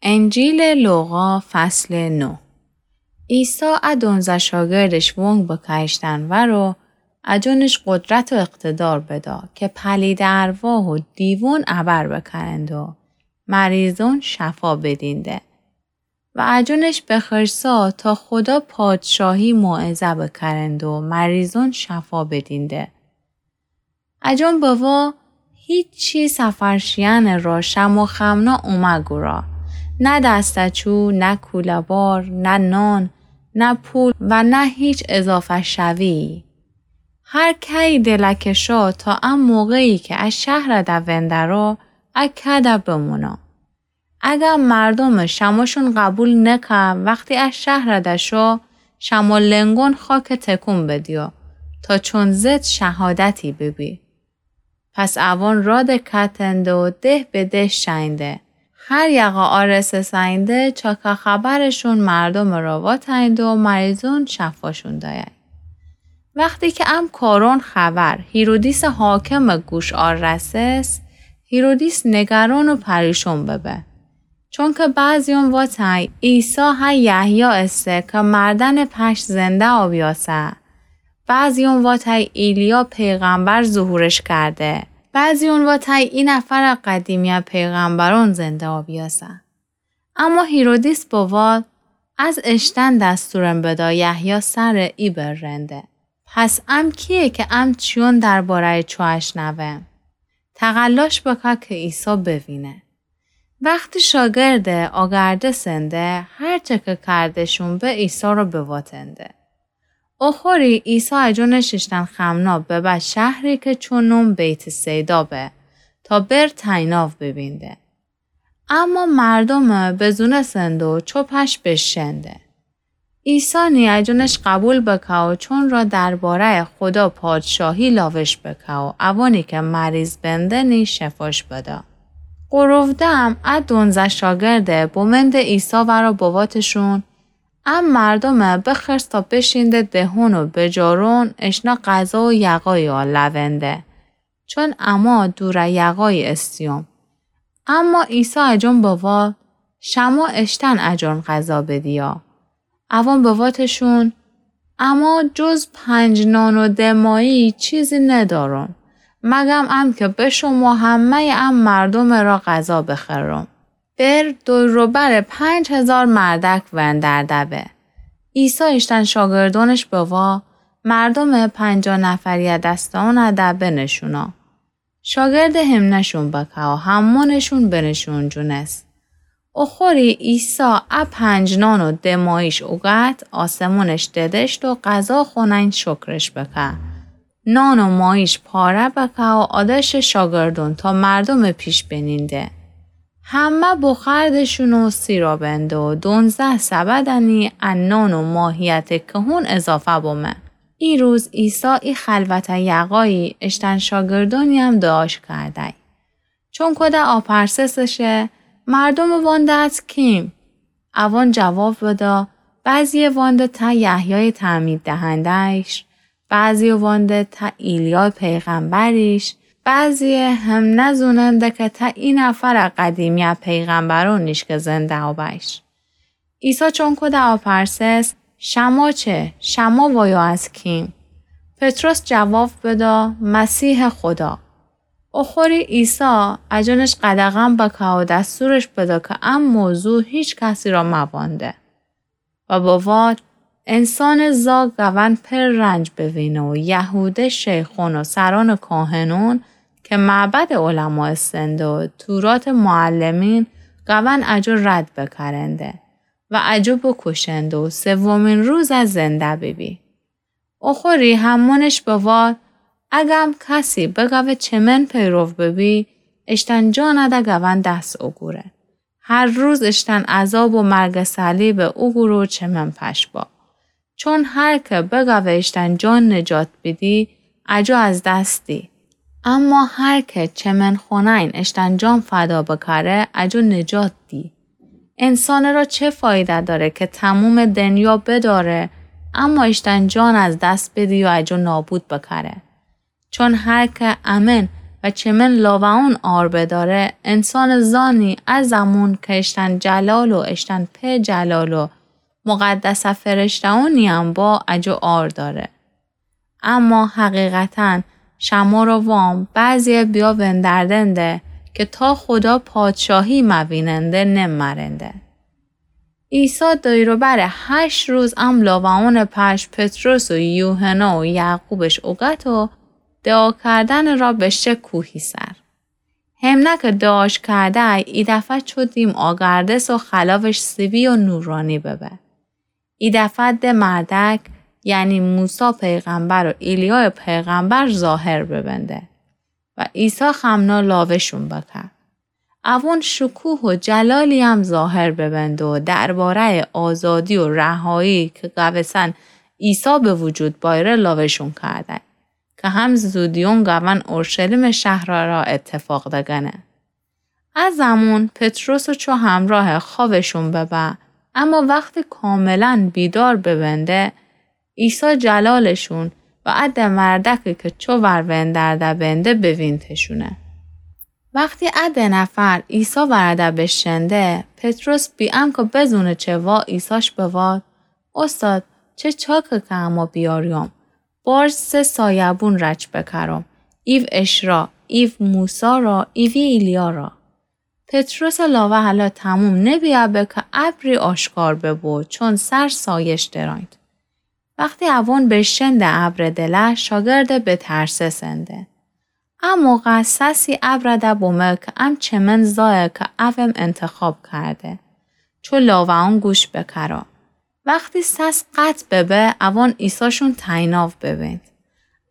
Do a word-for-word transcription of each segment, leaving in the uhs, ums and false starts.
انجیلٚ لوقا، فصلٚ نو. عیسی ا دونزه شاگردش وونگ بکشتن ورو، اجونش قدرت و اقتدار بدا که پلیدٚ ارواح و دیوون ابر بکرند و مریضون شفا بدینده. و اجونش بخرسا تا خودا پادشاهی موعظه بکرند و مریضون شفا بدینده. اجون بوا هیچی سفر شیئنٚ را شمع و خمنا اومه گورا. نه دسته‌چو، نه کوله‌بار، نه نان، نه پول و نه هیچ اضافه شویی. هر که‌یی دلکشا تا ا موقعی که ا شهرده وندرا، ا کده بمونا. اگر مردومٚ شمعشون قبول نکه، وختی ا شهرده شو، شمع و لنگون خاکه تکون بدیو، تا چون ضد شهادتی ببی. پس اوان رادٚ کتنده و ده به ده شئینده. هر یقه آرسه سئینده، چاکه خبرشون مردومٚ را واتئینده و مریضون شفاشون دایه. وختی که ام کارون خبر هیرودیسٚ حاکمٚ گوش آرسس، هیرودیس نگران و پریشون ببه. چونکه بعضیون واتای عیسی ها یحیی ایسه که مردنٚ پشت زنده آبیاسه. بعضیون واتای ایلیا پیغمبر ظهورش کرده. بعضیون واتای ای نفر قدیمی پیغمبرون زنده آبیاسه. اما هیرودیس بوال، از اشتن دستورم بدا یحیی سر ای برنده. پس ام کیه که ام چیون درباره‌ی چو اشنوم؟ تقلاش بکه که عیسی بوینه. وختی شاگرده آگرده سنده، هرچه که کردشون به عیسی را بواتنده. اوخوری عیسی اجونش اشتن خمنا ببه شهری که چو نوم بیت‌صیدا به، تا بر تیناو ببینده. اما مردومه بزونسنده و چوپش بشنده. عیسی نی اجونش قبول بکه و چون را درباره‌ی خودا پادشاهی لاوش بکه و اوانی که مریض بنده نی شفاش بده. غروب دم ا دونزه شاگرده بومنده عیسی ورا بواتشون، ام مردومه بخرس تا بشینده دهون و بجارون اشنا غذا و یقایی آ لونده. چون اما دوره یقایی استیوم. اما عیسی اجون بوال، شما اشتن اجون غذا بدیا. اوان بواتشون، اما جز پنج نان و ده ماهی چیزی ندارم، مگم ام که به شما همه‌ی ام مردومه را غذا بخرم. بر دور و بر پنج هزار مردک وندرده به. عیسی اشتن شاگردونش بوا، مردومه پنجاه نفریه دستانه ده بنشونا. شاگرده همنه‌شون بکه و همونشون بنشون جونس. اوخوری عیسی ا پنج نان و ده ماهیش اوگد، آسمونش ددشت و غذا خونین شکرش بکه. نان و ماهیش پاره بکه و آدش شاگردون تا مردومه پیش بنینده. همه بخوردشون و سیرا بنده و دونزه سبدنی ا نان و ماهیته که هون اضافه بومه. ای روز عیسی ای خلوته یقایی اشتن شاگردونیم دعاش کردی. چون کده آپرسسشه، مردومه وانده از کیم؟ اوان جواب بدا، بعضیه وانده ته یحیای تعمید دهنده‌یش، بعضیه وانده ته ایلیا پیغمبریش، بعضیه هم نزوننده که ته ای نفر قدیمیه پیغمبرونیش که زنده آبیش. عیسی چون کده آپرسس، شما چه؟ شما وایا از کیم؟ پطرس جواب بدا، مسیح خدا. اوخوری عیسی اجونش قدغن بکه و دستورش بدا که ام موضوع هیچ کسی را موانده. و بواد، انسانٚ زا گون پر رنج بوینه و یهوده شیخون و سرانٚ کاهنون که معبدٚ علما استنده و توراتٚ معلمین گون اجو رد بکرنده و اجو بکوشنده و سومین روز از زنده بیبی. اوخوری همونش بواد، اگم کسی بگوه چه من پیرو ببی، اشتن جانه ده گون دس اوگوره. هر روز اشتن عذاب و مرگٚ صلیب اوگوره و چه من پش با. چون هر که بگوه اشتن جان نجات بیدی، اجو از دس دی. اما هر که چه من خونین اشتن جان فدا بکره، اجو نجات دی. انسانٚ را چه فایده داره که تمومٚ دنیا بداره، اما اشتن جان از دس بدی و اجو نابود بکره؟ چون هر که امن و چمن لاوه‌اون عار بداره، انسانٚ زانی ا زمون کی اشتن جلال و اشتن پئ جلال و مقدسٚ فرشته‌اونی‌یم با اجو عار داره. اما حقیقتاً شمره وام بعضی‌یه بیأ وندردنده کی تا خودا پادشاهی مویننده نمرنده. عیسی دیر و بر هشت روز ام لاوه‌اونٚ پش پطرس و یوحنا و یعقوبش اوگت و دعا کردنٚ را بشه کوهی سر. همنه کی دعاش کردی، ایدفعه چو دیم آگردس و خلاوش سیبی و نورانی ببه. ایدفعه ده مردک، یعنی موسی پیغمبر و ایلیا پیغمبر ظاهر ببنده و عیسی خمنا لاوه‌شون بکه. اوون شکوه و جلالی‌یم ظاهر ببنده و درباره‌یٚ آزادی و رهایی کی گوسن عیسی به وجود بایره لاوه‌شون کرده کی هم زودیون گون اورشلیمٚ شهر را اتفاق دگنه. ا زمون پطرس چو همراه خوأبشون ببه، اما وختی کاملاً بیدار ببنده، عیسی جلالشون و ا ده مردکی کی چو ور وندرده بنده بوینتشونه. وختی ا ده نفر عیسی ورده بشنده، پطرس بی انکه بزونه چه وا عیساش بواد، اوستاد، چه چاکه کی اما بیاریوم؟ بارج سه سایه‌بون رچ بکرم، ایو اشرا، ایو موسی را، ایوی ایلیا را. پطرسٚ لاوه هلا تموم نبیه به کی ابری آشکار ببو، چون سر سایش درانید. وختی اوون بشنده ابرٚ دله، شاگرد بترسسنده. ا موقع سسی ابرده بومه کی ام چمن زایه کی اوم انتخاب کرده. چو لاوه‌اون گوش بکره. وختی سس قطع ببه، اوون عیساشون تیناو ببینید.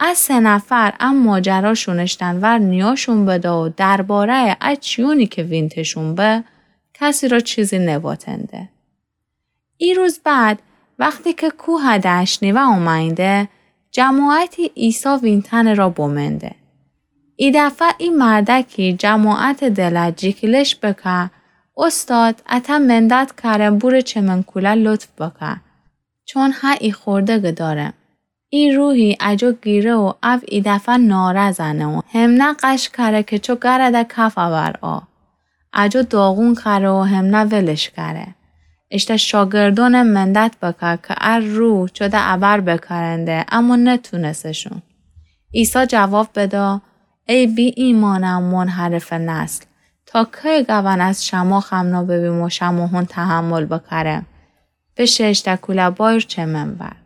ا سه نفر ا ماجراشون اشتن ور نیاشون بده و درباره‌یٚ ا چیونی کی وینتشون به، کسی را چیزی نباتنده. ای روز بعد، وختی کی کوه ده اشنیوه اومأینده، جماعتی عیسی وینتنٚ را بومنده. ایدفعه ای مردکی جماعتٚ دله جیکیلش بکه، اوستاد، اته مندت کرم بورٚ چمن کوله لطف بکه، چون هه ای خوردگٚ دارم. ای روحی اجو گیره و او ایدفعه ناره زنه و همنه غش کره کی چو گرده کف اورآ. اجو داغون کره و همنه ولش کره. اشته شاگردونم مندت بکه کی ا روح چو ده ابر بکرنده، اما نتونسشون. عیسی جواب بده، ای بی‌ایمانٚ منحرفٚ نسل، تا کی گون از شما خمنا ببیم و شماهون تحمل بکرم؟ بشه اشته کوله بایر چمن ور.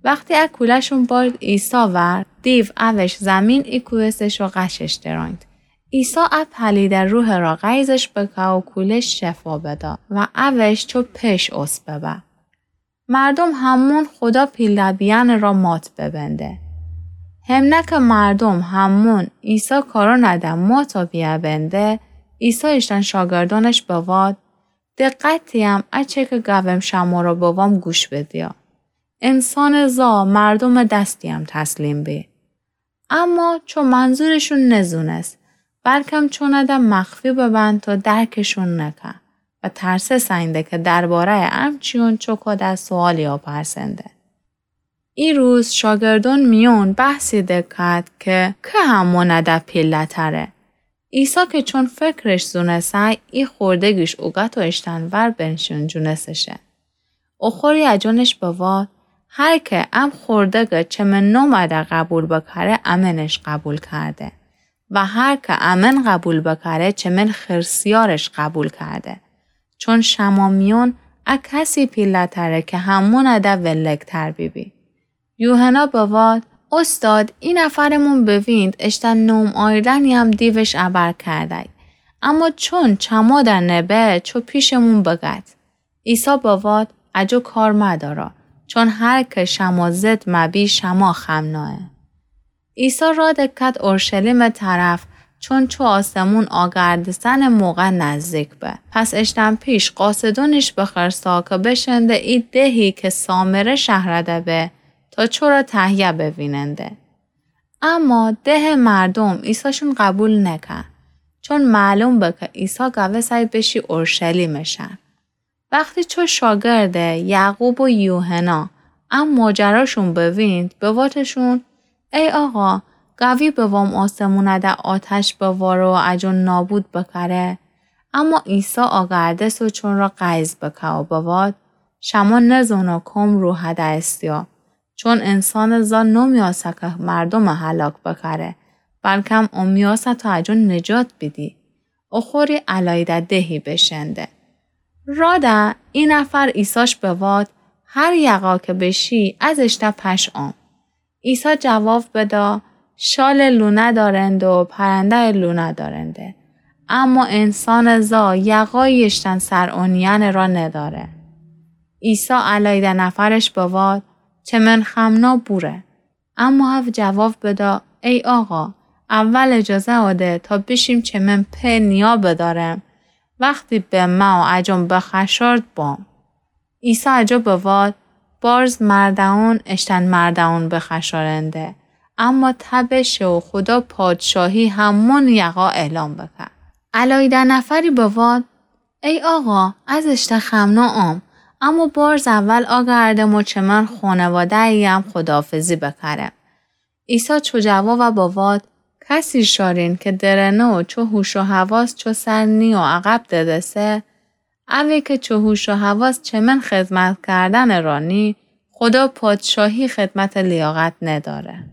وختی ا کوله‌شون بارد عیسی ور، دیو اوش زمین ایکویستش و غشش درانید. عیسی ا پلیده روحٚ را غیظش بکه و کوله شفا بده و اوش چو پیش اوس ببه. مردوم همون خودا پیله بیأنٚ را مات ببنده. همنه کی مردوم همون عیسی کارونٚ ده مات بیأ بنده، عیسی اشتن شاگردونش بواد، دقتی‌یم ا چه کی گوم شمره بوام گوش بدیا. انسانٚ زا مردومٚ دستی‌یم تسلیم بی. اما چو منظورشون نزونست، بلکم چونه ده مخفی ببن تا درکشون نکه و ترسسنده کی درباره‌یٚ امچیون چوکوده سوالی آپرسنده. ای روز شاگردون میون بحثی دکد کی، کی همونه ده پیله‌تره. عیسی کی چون فکرش زونسه، ای خوردگیش اوگت و اشتن ور بنشین جونسشه. اوخوری اجونش بواد، هر کی ام خوردگٚ چمن نومٚ ده قبول بکره، امنش قبول کرده و هر کی امن قبول بکره، چمن خرسیارش قبول کرده. چون شما میون ا کسی پیله‌تره کی همونه ده ولگ‌تر بیبی. یوحنا بواد، اوستاد، ای نفرمون بوینید اشتن نوم آیردنی‌یم دیوش ابر کردی. اما چون چمو ده نبه، چو پیشمون بگد. عیسی بواد، اجو کار مدارا، چون هر کی شما ضد مبی، شما خمنایه. عیسی را دکد اورشلیمٚ طرف، چون چو آسمون آگردستنٚ موقع نزدیک به. پس اشتن پیش قاصدونش بخرسا کی بشنده ای دهی کی سامره شهرده به، تا چورا تهیه بویننده. اما دهٚ مردوم عیساشون قبول نکه، چون معلوم به کی عیسی گوسه‌ی بشی اورشلیمٚ شهر. وختی چو شاگرده یعقوب و یوحنا ا ماجراشون بوینید، بواتشون، ای آقا، گاوی بوم آسمونَ ده آتش بواره و اجون نابود بکره. اما عیسی آگردس و چون را غیظ بکه و بواد: شما نزونید کام روحَ دأستیدی. چون انسانٚ زا نومیأسه که مردومَ هلاک بکره، بلکم اون میأسه تا اجون نجات بیدی. اوخوری الایده دهی بشنده. رادَ ای نفر عیساش بواد: هر یقا که بشی، از اشته پش آم. عیسی جواب بدا: شالٚ لونه دارند و پرنده‌یٚ لونه دارنده، اما انسانٚ زا یقایی اشتن سر اونیأنٚ را نداره. عیسی الایده نفرش بواد: چمن خمنا بوره. اما او جواب بدا: ای آقا، اول اجازه آده تا بیشیم چمن په نیا بدارم. وختی به مه و اجون بخشارد بام. عیسی اجو بواد: بارز مرده‌ون اشتن مرده‌ون بخشارنده، اما تب شه و خودا پادشاهی همون یقا اعلان بکه. الایده نفری بواد: ای آقا، از اشته خمنا آم، اما بارز اول آگردم و چمن خونواده‌یم خداحافظی بکرم. عیسی چو جوابَ بواد: کسی شارین که درنه و چو هوش و حواس چو سر نی و عقب ددسه، اوی که چو هوش و حواس چمن خدمت کردنٚ را نی، خودا پادشاهی خدمتٚ لیاقت نداره.